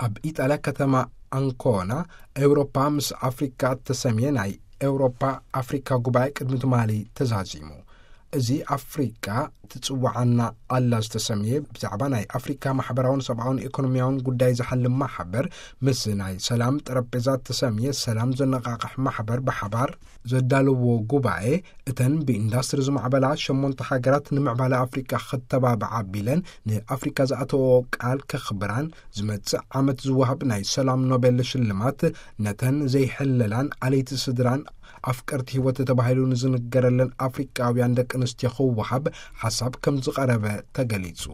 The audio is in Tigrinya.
ኣብ ኢጣልያ ከተማ ኣንኮና፣ ኤውሮፓ ምስ ኣፍሪካ እተሰምየ ናይ ኤውሮፓ ኣፍሪካ ጉባኤ ቅድሚ ትማሊ ተዛዚሙ። እዚ ኣፍሪካ ትጽውዓና ኣላ ዝተሰምየ፣ ብዛዕባ ናይ ኣፍሪካ ማሕበራውን ሰብኣውን ኢኮኖሚያውን ጉዳይ ዝሓልም ማሕበር፣ ምስ ናይ ሰላም ጠረጴዛ እተሰምየ ሰላም ዘነቓቕሕ ማሕበር ብሓባር ዘዳለዎ ጉባኤ፣ እተን ብኢንዳስትሪ ዝማዕበላ ሸሞንተ ሃገራት ንምዕባለ ኣፍሪካ ክተባብዓ ቢለን ንኣፍሪካ ዝኣተዎ ቃል ከኽብራን፣ ዝመጽእ ዓመት ዝወሃብ ናይ ሰላም ኖቤል ሽልማት ነተን ዘይሕለላን ኣለይቲ ስድራን ኣፍቀርቲ ህይወት ተባሂሉ ንዝንገረለን ኣፍሪቃውያን ደቂ ኣንስትዮ ክወሃብ ሓሳብ ከም ዝቐረበ ተገሊጹ።